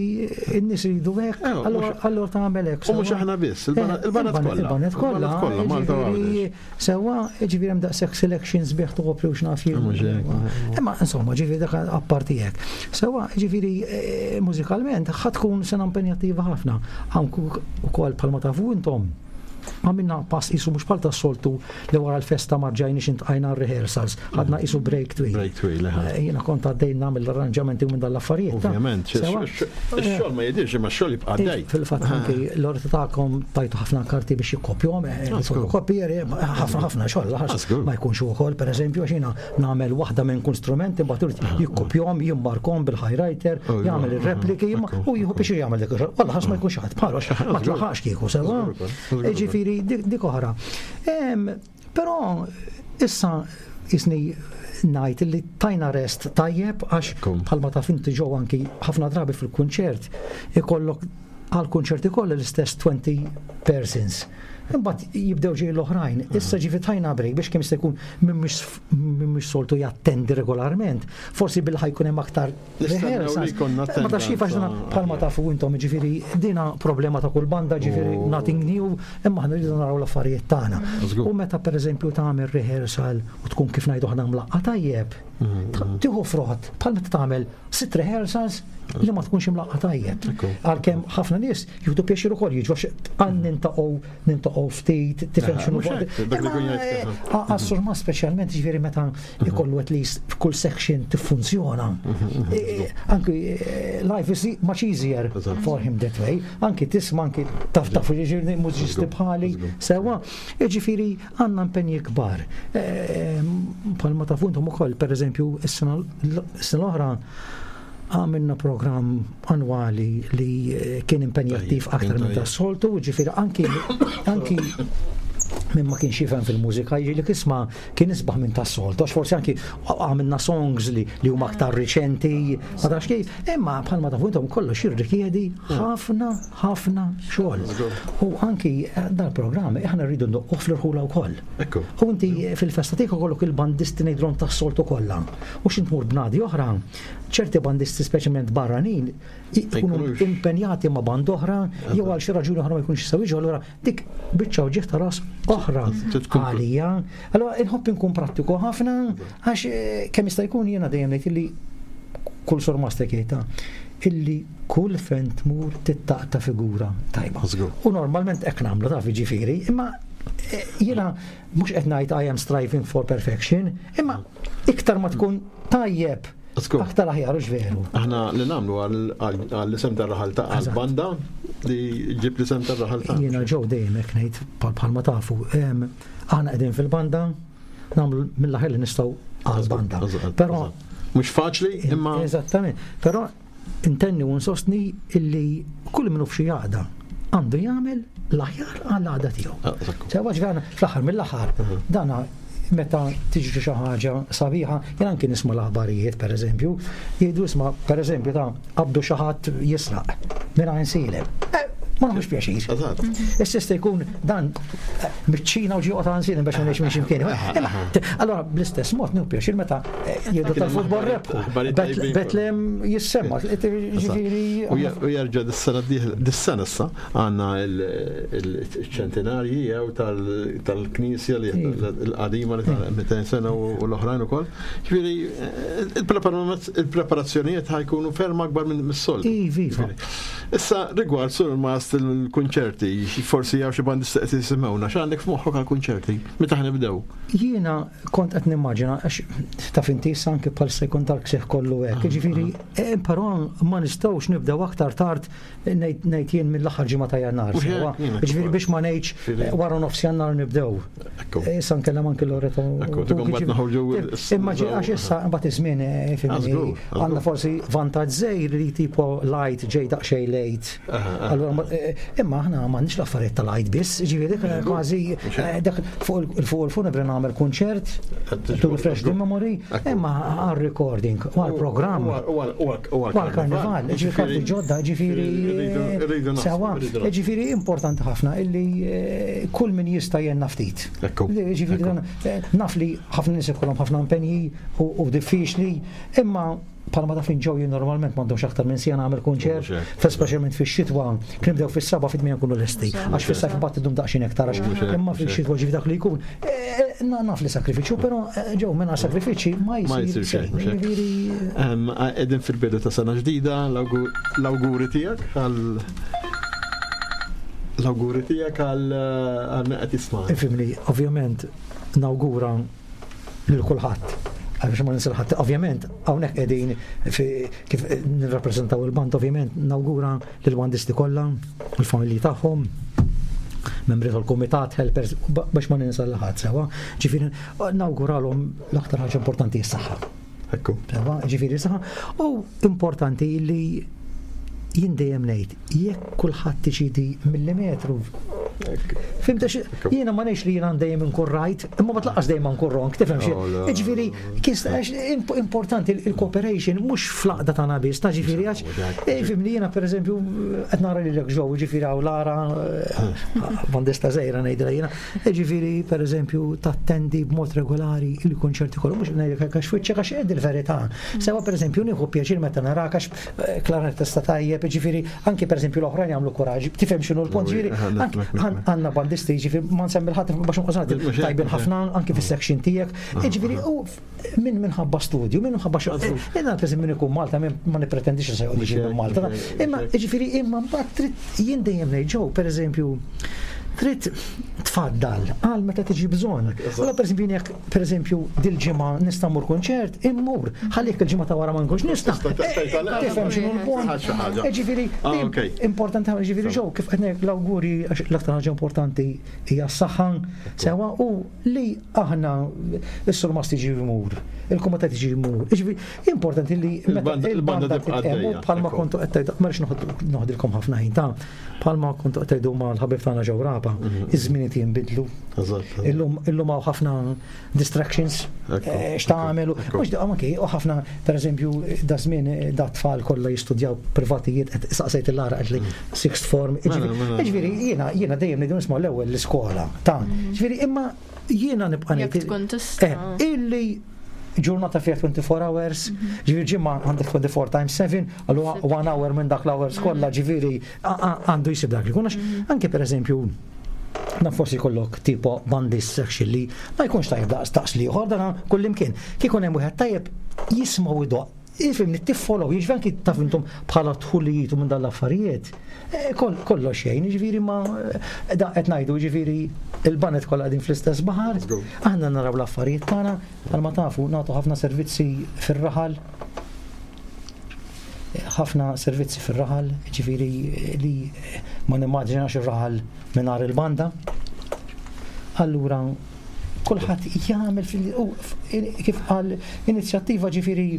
n-nies iridu hekk, eh, allura tagħmel hekk. U mhux aħna biss, il-banet kollha. Il-banet kollha. Malta Sewwa, ġifieri hemm daqshekk selections bih topri u x'naf jien. Imma insomma, ġifieri dak apparti hekk. Sewwa, ġifieri eh, mużikalment ħa tkun sena impenjattiva ħafna. Anku ukoll bħalma tafu intom għamilna pass isu mhux bħal tas-soltu li wara l-festa ma rġajniex intqajna rehearsals, ħadna isu break twil. Break twil, eh, Jiena kont għaddej nagħmel l-arranġamenti minn dal-affarijiet. Ovvjament, ix-xogħol ma jidirx imma x-xogħol jibqa' għaddej. Fil-fatt anki l-orti tagħkom tajtu ħafna karti biex jikkopjhom, eh, fotokopieri, ħafna ħafna xogħol, ma jkunx ukoll, pereżempju, għax jiena nagħmel waħda minn kull strument imbagħad irid jikkopjhom, jimmarkhom bil-highlighter, jagħmel ir-repliki u jieħu biex jagħmel dik ix-xogħol. Wallah ma jkunx ħadd bħalu ma tlaħaqx kieku sewwa. Ġifieri dik oħra. Però issa jisni ngħid li tajna rest tajjeb għax bħalma taf inti ġew anki ħafna drabi fil-kunċert ikollok għal kunċerti kollha l-istess 20 persons. Imbagħad jibdew ġej l-oħrajn. Issa ġifi tajna break biex kemm jista' jkun min mhux soltu jattendi regolarment. Forsi bil ħajkun hemm aktar rehearsals. Ma tafx kif għax bħalma tafu intom ġifieri dina problema ta' kull banda ġifieri oh. nothing new, imma aħna rridu naraw l-affarijiet tagħna. U meta pereżempju tagħmel rehearsal u tkun kif ngħidu aħna mlaqqa tajjeb, mm-hmm. tieħu frott bħal meta tagħmel sitt rehearsals li ma tkunx imlaqqa tajjeb. Għalkemm ħafna nies jieħdu pjaċir ukoll jiġu għax għan nintaqgħu nintaqgħu ftit, tifhem x'inhu Għas-surma speċjalment ġifieri meta ikollu at least f'kull section tiffunzjona. Mhm, e, e, anki e, life is much easier for him that way. Anki tisma' anki taf taf ġifieri mużiċisti bħali sewa. Ġifieri għandna impenji kbar. Bħalma tafu intom ukoll, pereżempju, is-sena l-oħra għamilna programm annwali li eh, kien impenjattiv aktar minn tas-soltu, ġifieri anki anki Min ma kienx jifhem fil-mużika jiġi isma' kien isbaħ minn tas-soltu, għax forsi anki għamilna songs li, li huma aktar riċenti, ma tafx kif, imma bħalma tafu intom kollox jirrikjedi ħafna, ħafna xogħol. U anki eh, dal-programm aħna rridu ndoqquh fl-irħula wkoll. U inti fil-festa tiegħek ikollok il-bandisti ngħidulhom tas-soltu kollha. U x'int tmur bnadi oħra, ċerti bandisti speċjalment barranin ikunu impenjati ma' band oħra jew għal xi raġuni oħra ma jkunx jistgħu jiġu allura dik biċċa uġigħ ta' ras oħra għalija. Allura inħobb inkun prattiku ħafna għax eh, kemm jista' jkun jiena dejjem ngħid illi kull surmaster jgħidha illi kull fejn tmur tittaqta figura tajba. U normalment hekk nagħmlu taf jiġifieri, imma eh, jiena mhux qed ngħid I am striving for perfection, imma iktar ma tkun tajjeb Aktar aħjar u veru. Aħna li nagħmlu għall-isem tar-raħal ta' għall-banda li ġib l-isem tar-raħal ta' Jiena ġew dejjem hekk ngħid bħalma tafu. Aħna qegħdin fil-banda nagħmlu mill-aħjar li nistgħu għall-banda. Però mhux faċli imma Eżattament. Però intenni u nsostni illi kull minnu f'xi għaqda għandu jagħmel l-aħjar għall-għaqda tiegħu. Ah, Sewa ġgħana fl-aħħar mill-aħħar dana meta tiġri xi ħaġa sabiħa, jien anki nisma' l-aħbarijiet pereżempju, jgħidu isma' pereżempju ta' qabdu xi ħadd jisraq minn Għajnsielem. Eh, ma nħux pjaċir. Issa jista' jkun dan eh, miċ-Ċina u ġie ta' Għajnsielem biex ma ngħix minn x'imkien. Allora bl-istess mod nieħu pjaċir meta eh, jgħidu tal-futbol rebħu. Betlem jissemma. Ġifieri. U jerġa' dis-sena dis-sena issa Għandna il-ċentinarji jew tal-knisja li l-qadima li tal-200 sena u l-oħrajn ukoll. Ġifieri il-preparazzjonijiet ħajkunu ferm akbar minn mis-soltu. Iva, iva. Issa rigward sur mast il-kunċerti, forsi jew xi bandista qed jisimgħuna, x'għandek f'moħħok għall-kunċerti? Meta ħnibdew? Jiena kont qed nimmaġina għax taf inti issa anke bħalissa jkun tal-ksieħ kollu hekk. Ah, Ġifieri, ah. eh, però ma nistgħux nibdew aktar tard Ngħid jien mill-aħħar ġimgħa ta' Jannar. Ġifieri biex ma ngħidx eh, wara nofs Jannar nibdew. Eh, issa nkellem anki Loreto. Imma għax issa mbagħad iż-żmien eh, għandna forsi vantaġġ żejr li tipo light ġej daqsxejn late. Allura imma aħna m'għandniex l-affarijiet tal-light biss, ġifieri dik kważi dak fuq il-funebri nagħmel kunċert to refresh the memory, imma għal-recording u għal-programm. U għal-karnival, ġifieri karti ġodda, ġifieri sewa, ġifieri importanti ħafna illi eh, kull min jista' jenna ftit. Ġifieri eh, naf li ħafna nies ikollhom ħafna impenji u diffiċli, imma palma taf ġew jien normalment m'għandhomx aktar minn sija nagħmel kunċert, speċjalment fix-xitwa, kien nibdew fis-seba' fit-tmien nkunu lesti, għax fis-sajf imbagħad idum daqsxejn iktar għax imma fix-xitwa ġifi dak li jkun. Eh, naf li sakrifiċċju, però eh, ġew minn sakrifiċċji ma jsir xejn. Qegħdin fil-bidu ta' sena ġdida, l-awguri tiegħek għal l-awguri tiegħek għal għal qed jisma'. Ifimni, ovvjament nawgura lil kulħadd għax ma ninsa ħadd. Ovvjament, hawnhekk qegħdin kif nirrappreżentaw il-band, ovvjament nawgura lill-bandisti kollha, il-familji tagħhom, membri tal-kumitat, helpers, biex ma ninsa l-ħadd sewa. Ġifieri nawguralhom l-aktar ħaġa importanti s-saħħa. Ekku. Sewa, ġifieri saħħa. U importanti li jien dejjem ngħid, jekk kulħadd iċidi millimetru. Fimta jiena ma ngħidx li jiena dejjem inkun right, imma ma tlaqqas dejjem nkun wrong, tifhem xi. Oh, ġifieri, importanti il-cooperation mhux fl-aqda tagħna biss, ta' ġifieri għax eh, fimni jiena pereżempju qed nara lilek ġew, ġifieri hawn Lara eh, bandista żgħira ngħidilha jiena, eh, ġifieri pereżempju tattendi b'mod regolari il-konċerti kollu mhux ngħidlek għax wiċċek għax qed il-verità. Sewa pereżempju nieħu pjaċir meta narak għax Klarinettista tajjeb, ġifieri anki pereżempju l-oħrajn jagħmlu kuraġġ, tifhem x'inhu l-punt, ġifieri għandna bandisti, ġifieri ma nsemmi l-ħadd biex nqos tajbin ħafna anki fis-section tiegħek, ġifieri u minn minħabba studju, minn minħabba xogħol. Jiena pereżempju min ikun Malta ma nippretendix li se joqgħod jiġi minn Malta, imma ġifieri imma mbagħad trid jien dejjem ngħid ġew pereżempju trid tfaddal għal meta tiġi bżonn. Allora pereżempju jekk pereżempju dil-ġimgħa nista' mmur kunċert, immur. Ħalli jekk il-ġimgħa ta' wara ma nkunx nista'. Tifhem x'inhu l-punt. Eh, ġifieri ah, importanti ħafna ġifieri ġew kif qed ngħid l-awguri għax l-aktar ħaġa importanti hija s-saħħa sewa u li aħna s-surmast jiġi jmur, il-kumitat jiġi jmur. Ġifieri importanti li il-banda tibqa' bħalma kontu qed tgħidu, ma rridx noħdilkom ħafna ħin ta' bħalma kontu qed tgħidu mal-ħabib tagħna ġew raba, mhm. iż-żmien jimxu. jinbidlu. Illum illum hawn ħafna distractions eh, x'tagħmel mhux anki u ħafna pereżempju da żmien eh, da tfal kollha jistudjaw privatijiet qed saqsejt il-lara qed li mm. sixth form. Mela, mela. Ġifieri jiena jiena dejjem ngħidu nisma' l-ewwel l-iskola ta' mm. ġifieri imma jiena nibqa' ngħid eh, illi ġurnata fiha 24 hours, mhm. ġifieri ġimgħa għandek 24 times 7, allura one hour minn dak l-hours mhm. kollha ġifieri għandu jsib dak li jkun. Mhm. Anke pereżempju na forsi kollok tipo bandist section li ma jkunx tajjeb daqs daqs li ieħor dan kullimkien. Kieku hemm wieħed tajjeb jisma' idoq Ifimni, tiffollow, jiġifieri anki taf intom bħala tħulijiet u minn dan l-affarijiet, eh, kollox xejn, jiġifieri ma eh, da qed ngħidu, jiġifieri il-banet kollha qegħdin fl-istess baħar, aħna naraw l-affarijiet tagħna, bħalma tafu nagħtu ħafna servizzi fir-raħal, ħafna servizzi fir-raħal, ġifieri li ma nimmaġinax ir-raħal mingħajr il-banda. Allura kulħadd jagħmel kif qal inizjattiva ġifieri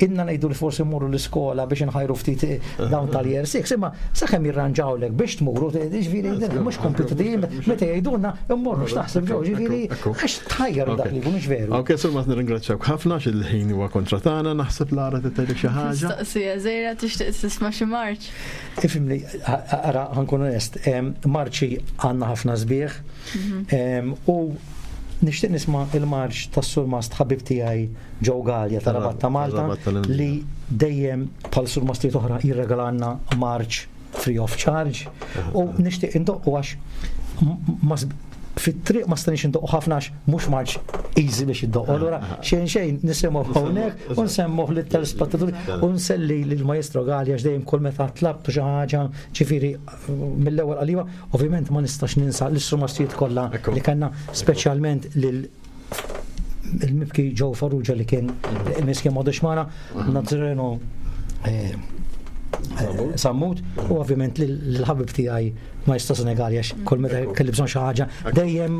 inna ngħidu li forsi mmorru l-iskola biex nħajru ftit eh, dawn tal-year 6, imma sakemm jirranġawlek biex tmuru, ġifieri mhux kompitu meta jgħidulna mmorru x'taħseb ġew, ġifieri għax tħajjar dak li jkun veru. Ok, sur ma nirringrazzjawk ħafna xil-ħin huwa kontra tagħna, naħseb Lara tgħidlek xi ħaġa. Mistoqsija żgħira tixtieq tisma' xi marċ. Ifhimni, ara ħankun onest, marċi għandna ħafna sbieħ mhm. u nixtieq nisma' il-marċ tas-surmast ħabib tiegħi Joe Gallia ta' Rabat ta' Malta li dejjem bħal surmastijiet oħra jirregalanna marċ free of charge u nixtieq indoqqu għax fit-triq ma stanix indoqqu ħafna għax mhux marċ easy biex iddoqqu. Allura xejn xejn nisimgħu hawnhekk u nsemmuh lit-telespettaturi u nselli lill-Maestro Gallia għax dejjem kull meta tlabtu xi ħaġa ġifieri mill-ewwel qaliwa, ovvjament ma nistax ninsa l-istrumastijiet kollha li kellna speċjalment lil il-mibki Joe Farrugia li kien miskin m'għadux magħna, Nazareno eh, eh, Sammut u ovvjament l-ħabib tiegħi Maestro Senegali għax kull meta kelli bżonn xi ħaġa dejjem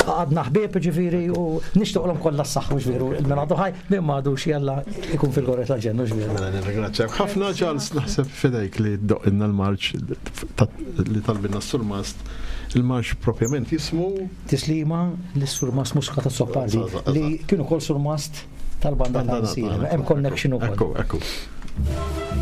għadna ħbieb ġifieri u nixtieqlhom kollha s-saħħa ġifieri il-min għadu ħaj min m'għadux jalla ikun fil-gorra tal-ġennu ġifieri. Mela nirringrazzjak ħafna Charles naħseb fidejk li doqilna l-marċ li talbinna s-surmast il-marċ propjament jismu Tislima lis-Surmast Muscat Azzopardi li kien ukoll surmast tal-banda tal-Sirem. Hemm connection ukoll. Ekku, ekku.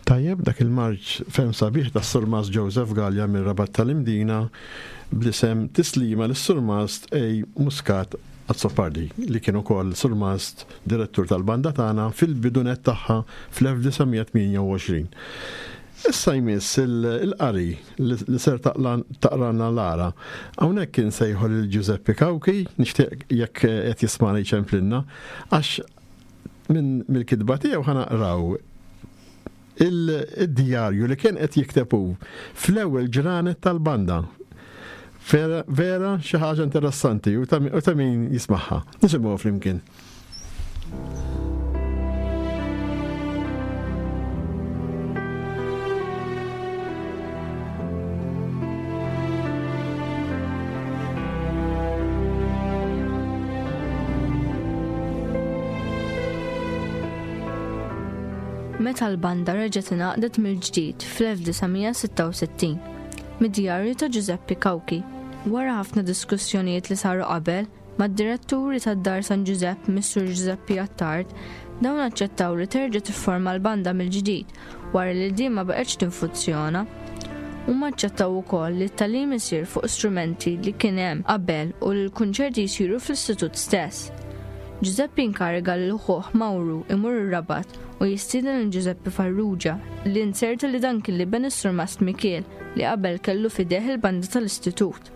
Tajjeb, dak il-marċ ferm sabiħ tas-Surmast Joseph Galea mir-Rabat tal-Imdina bl-isem Tislima lis-Surmast A. Muscat Azzopardi li kien ukoll Surmast Direttur tal-banda tagħna fil-bidu nett tagħha fl-1928. Issa jmiss il-qari li ser taqralna Lara. Hawnhekk insejħu lil Giuseppe Cauchi, nixtieq jekk qed jismagħna jċemplilna, għax minn mill-kitba tiegħu ħa naqraw il-djarju li kien qed jikteb hu fl-ewwel ġranet tal-banda. Vera, vera xi ħaġa interessanti u ta' min jismagħha. Nisimgħu flimkien. Meta l-banda reġgħet ingħaqdet mill-ġdid fl-1966, mid-djarju ta' Ġużeppi Cauchi, wara ħafna diskussjonijiet li saru qabel, Mad-diretturi tad-Dar San Ġużepp Missur Ġużeppi Attard, dawn aċċettaw li terġa' tifforma l-banda mill-ġdid wara li din ma baqgħetx tinfuzzjona. Huma aċċettaw ukoll li t-tagħlim isir fuq strumenti li kien hemm qabel u li l-kunċerti jsiru fl-istitut stess. Ġużeppi inkariga lil ħuh Mawru imur ir-Rabat u jistieden lil Ġużeppi Farrugia li nzerta li dan kien l-iben is-Surmast Mikiel li qabel kellu f'idejh il-banda tal-istitut.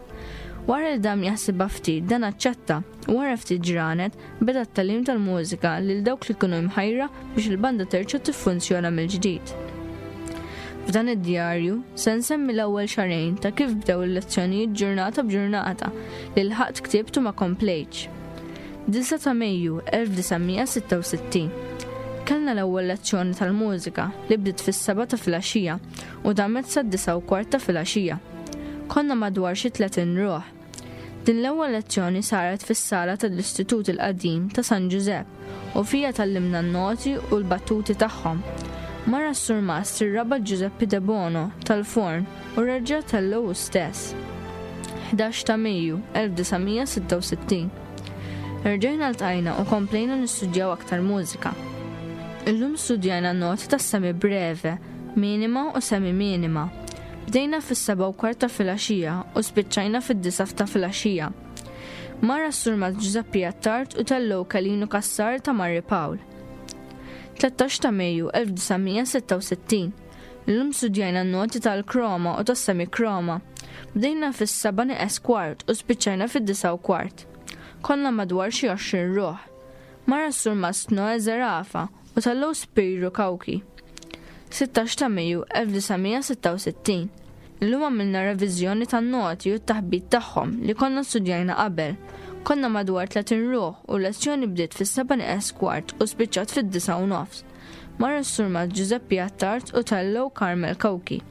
Wara li dam jaħsibha ftit, dan aċċetta, u wara ftit ġranet, beda t-tagħlim tal-mużika lil dawk li kienu imħajra biex il-banda terġa' tiffunzjona mill-ġdid. F'dan id-djarju, se nsemmi l-ewwel xahrejn ta' kif bdew il-lezzjonijiet ġurnata b'ġurnata li lħaqt ktibt u ma komplejtx. 9 ta' Mejju 1966. Kellna l-ewwel lezzjoni tal-mużika li bdiet fis-sebgħa ta' filgħaxija u damet sad-disgħa u kwart ta' filgħaxija. Konna madwar xi 30 ruħ. Din l-ewwel lezzjoni saret fis-sala tal-Istitut il-Qadim ta' San Ġużepp u fiha tgħallimna n-noti u l-battuti tagħhom. Mar għas-Surmast ir-Rabat Ġużeppi Debono tal-Forn u reġa' tellgħu hu stess. 11 ta' Mejju, 1966. Erġajna ltqajna u komplejna nistudjaw aktar mużika. Illum studjajna n-noti tas-semi breve, minima u semi minima. Bdejna fis-sebgħa u kwart ta' filgħaxija u spiċċajna fid-disgħa ta' filgħaxija. Mar għas-Surmast Ġużeppi Attard u tellgħu Kelinu Cassar ta' Marri Pawl. 13 ta' Mejju 1966. Illum studjajna n-noti tal-kroma u tas-semikroma. Bdejna fis-sebgħa nieqes kwart u spiċċajna fid-disgħa u kwart. Konna madwar xi 20 ruħ. Mar għas-Surmast Noe Zerafa u tellgħu Spiru Cauchi. 16 ta' Mejju 1966. Illum għamilna reviżjoni tan-noti u t-taħbit tagħhom li konna studjajna qabel. Konna madwar 30 ruħ u l-lezzjoni bdiet fis-sebgħa nieqes kwart u spiċċat fid-disgħa u nofs. Mar is-Surmast Ġużeppi Attard u tellgħu Carmel Cauchi.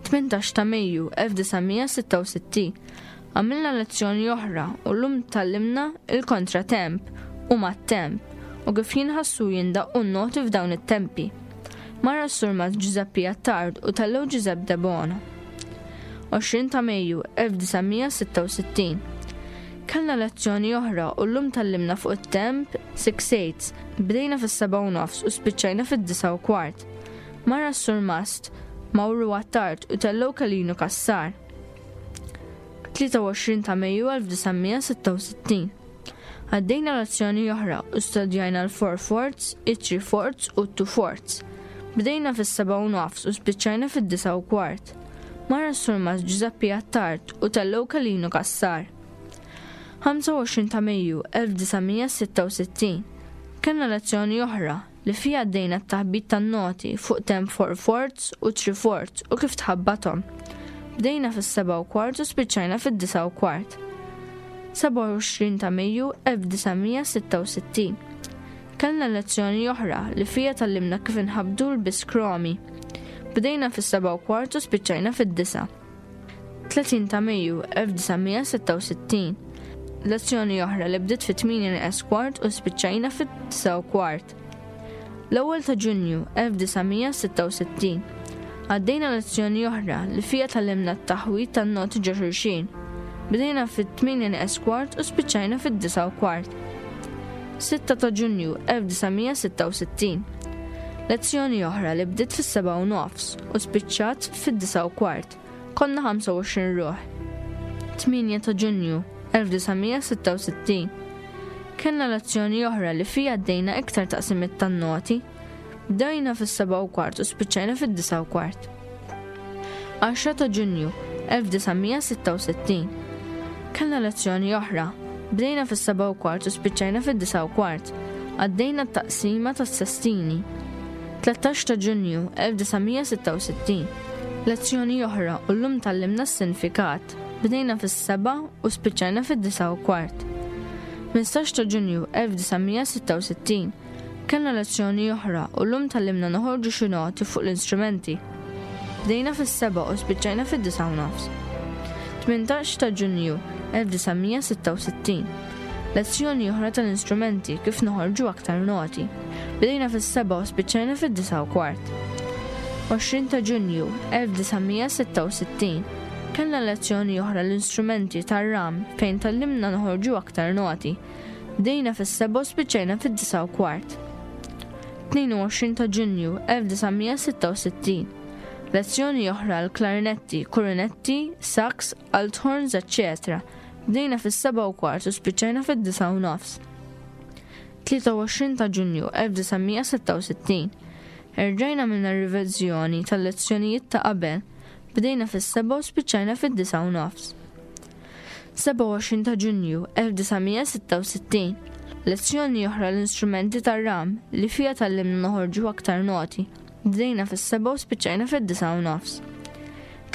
18 ta' Mejju 1966. Għamilna lezzjoni oħra u llum tgħallimna il-kontratemp u mat-temp u kif jinħassu jindaqqu n-noti f'dawn it-tempi. Mar għas-Surmast Ġużeppi Attard u tellgħu Ġużepp Debono. 20 ta' Mejju 1966. Kellna lezzjoni oħra u llum tgħallimna fuq it-temp six eights. Bdejna fis-sebgħa u nofs u spiċċajna fid-disgħa u kwart. Mar għas-Surmast Mawru Attard u tellgħu Kelinu Cassar. 23 ta' Mejju 1966. Għaddejna lezzjoni oħra u studjajna l-four fourths, it-three fourths u t-two fourths. Bdejna fis-sebgħa u nofs u spiċċajna fid-disgħa u kwart. Mar għas-Surmast Ġużeppi Attard u tellgħu Kelinu Cassar. 25 ta' Mejju 1966. Kellna lezzjoni oħra li fiha għaddejna t-taħbit tan-noti fuq temp four fourths u three fourths u kif tħabbathom. Bdejna fis-sebgħa u kwart u spiċċajna fid-disgħa u kwart. 27 ta' Mejju 1966. Kellna lezzjoni oħra li fiha tgħallimna kif inħabbdu l-biskromi. Bdejna fis-sebgħa u kwart u spiċċajna fid-disgħa. 30 ta' Mejju 1966. Lezzjoni oħra li bdiet fit-8 nieqes kwart u spiċċajna fit-9 u kwart. L-ewwel ta' Ġunju 1966. Għaddejna lezzjoni oħra li fiha tgħallimna t-taħwid tan-noti ġo xulxin. Bdejna fit-8 nieqes kwart u spiċċajna fid-9 u kwart. 6 ta' Ġunju 1966. Lezzjoni oħra li bdiet fis-sebgħa u nofs u spiċċat fid-disgħa u kwart. Konna 25 ruħ. 8 ta' Ġunju, 1966. Kellna lezzjoni oħra li fiha għaddejna iktar taqsimiet tan-noti. Bdejna fis-sebgħa u kwart u spiċċajna fid-disgħa u kwart. 10 ta' Ġunju, 1966. Kellna lezzjoni oħra. Bdejna fis-sebgħa u kwart u spiċċajna fid-disgħa u kwart. Għaddejna t-taqsima tas-sestini. 13 ta' Ġunju, 1966. Lezzjoni oħra u llum tgħallimna s-sinfikat. Bdejna fis-sebgħa u spiċċajna fid-disgħa u kwart. 15 ta' Ġunju, 1966. Kellna lezzjoni oħra u llum tgħallimna noħorġu xi noti fuq l-instrumenti. Bdejna fis-sebgħa u spiċċajna fid-disgħa u nofs. 18 ta' Ġunju 1966. Lezzjoni oħra tal-instrumenti kif noħorġu aktar noti. Bdejna fis-sebgħa u spiċċajna fid-disgħa u kwart. 20 ta' Ġunju 1966. Kellna lezzjoni oħra l-instrumenti tar-ram fejn tgħallimna noħorġu aktar noti. Bdejna fis-sebgħa u spiċċajna fid-disgħa u kwart. 22 ta' Ġunju 1966. Lezzjoni oħra l-klarinetti, kurunetti, sax, althorns, eċċetera. Bdejna fis-sebgħa u kwart u spiċċajna fid-disgħa u nofs. 23 ta' Ġunju 1966. Erġajna għamilna riveżjoni tal-lezzjonijiet ta' qabel. Bdejna fis-sebgħa u spiċċajna fid-disgħa u nofs. 27 ta' Ġunju 1966, Lezzjoni oħra l-instrumenti tar-ram li fiha tgħallimna noħorġu aktar noti. Bdejna fis-sebgħa u spiċċajna fid-disgħa u nofs.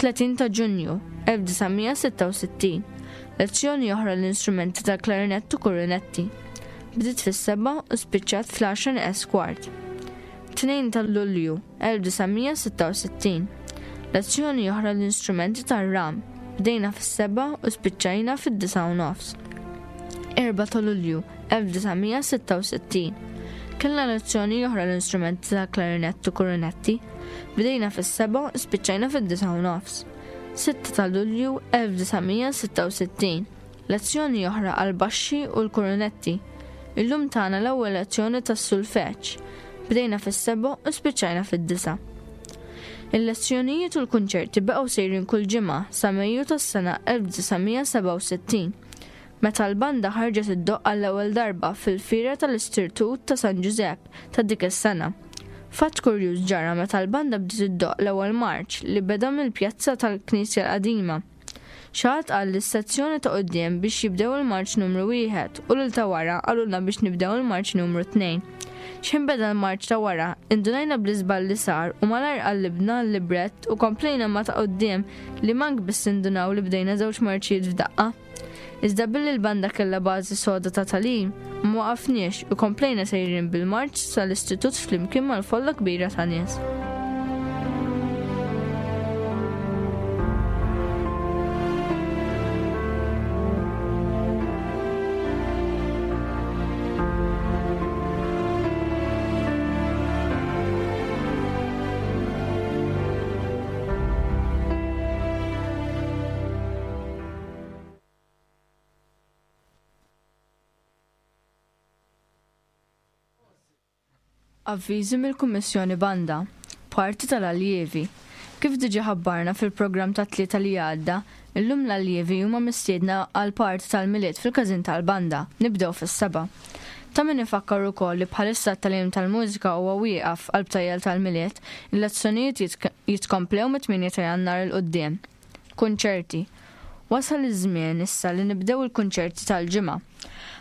30 ta' Ġunju 1966, Lezzjoni oħra l-instrumenti tal-klarinett u kurinetti. Bdiet fis-sebgħa u spiċċat fl-għaxra nieqes kwart. 2 ta' Lulju 1966. Lezzjoni oħra l-instrumenti tar-ram. Bdejna fis-sebgħa u spiċċajna fid-disgħa u nofs. 4 ta' Lulju 1966. Kellna lezzjoni oħra l-instrumenti ta' klarinett u kurunetti. Bdejna fis-sebgħa u spiċċajna fid-disgħa u nofs. 6 ta' Lulju 1966. Lezzjoni oħra għall-baxxi u l-kurunetti. Illum tana l-ewwel lezzjoni tas-sulfeġġ. Bdejna fis-sebgħa u spiċċajna fid-disgħa. Il-lezzjonijiet u l-kunċerti baqgħu sejrin kull ġimgħa sa Mejju tas-sena 1967, meta l-banda ħarġet iddoqq għall-ewwel darba fil-Fiera tal-Istirtut ta' San Ġużepp ta' dik is-sena. Fatt kurjuż ġara meta l-banda bdiet iddoqq l-ewwel marċ li beda mill-pjazza tal-Knisja l-Qadima. Xi ħadd qal lis-sezzjoni ta' quddiem biex jibdew il-marċ numru wieħed u lil ta' wara qalulna biex nibdew il-marċ numru tnejn. X'ħin beda l-marċ ta' wara, indunajna bl-iżball li sar u malajr qallibna l-librett u komplejna ma' ta' quddiem li mank biss indunaw li bdejna żewġ marċijiet f'daqqa. Iżda billi l-banda kellha bażi soda ta' tagħlim, ma waqafniex u komplejna sejrin bil-marċ sal-istitut flimkien mal-folla kbira ta' nies. Avviżi mill-Kummissjoni Banda, Parti tal-Alljievi. Kif diġa ħabbarna fil-programm tat-Tlieta li għadda, illum l-alljievi huma mistiedna għall-party tal-Milied fil-Każin tal-Banda. Nibdew fis-sebgħa. Ta' min ifakkar ukoll li bħalissa t-tagħlim tal-mużika huwa wieqaf għall-btajjel tal-Milied, il-lezzjonijiet jitkomplew mit-tmienja ta' Jannar 'il quddiem. Kunċerti. Wasal iż-żmien issa li nibdew il-kunċerti tal-ġimgħa.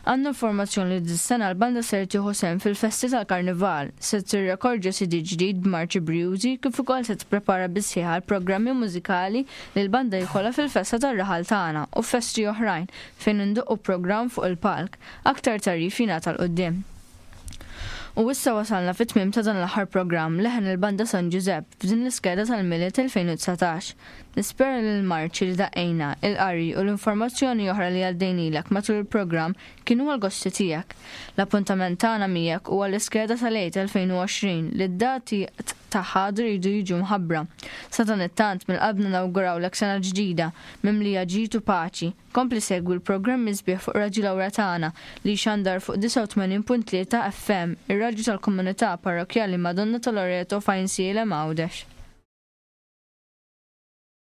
Għandna informazzjoni li dis-sena l-banda ser tieħu sehem fil-festi tal-Karnival, se tirrekordja CD ġdid b'marċi brijużi kif ukoll se tipprepara bis-sħiħ għall-programmi mużikali li l-banda jkollha fil-festa tar-raħal tagħna u f'festi oħrajn fejn indoqqu programm fuq il-palk. Aktar tagħrif jingħata 'l quddiem. U issa wasalna fit-tmiem ta' dan l-aħħar programm Leħen il-Banda San Ġużepp f'din l-iskeda tal-Milied 2019. Nispera li l-marċi li daqqejna, il-qari u l-informazzjoni oħra li għaddejnilek matul il-programm kienu għall-gosti tiegħek. L-appuntament tagħna miegħek huwa l-iskeda tal-Għid 2020 li d-dati. tagħha għadu jridu jiġu mħabbra. Sadanittant, mill-qalbna nawgurawlek sena ġdida, mimlija ġid u paċi. Kompli segwi l-programmi sbieħ fuq Radju Lawra tagħna li jxandar fuq 89.3 FM, ir-radju tal-komunità parrokkjali Madonna ta' Loreto f'Għajnsielem Għawdex.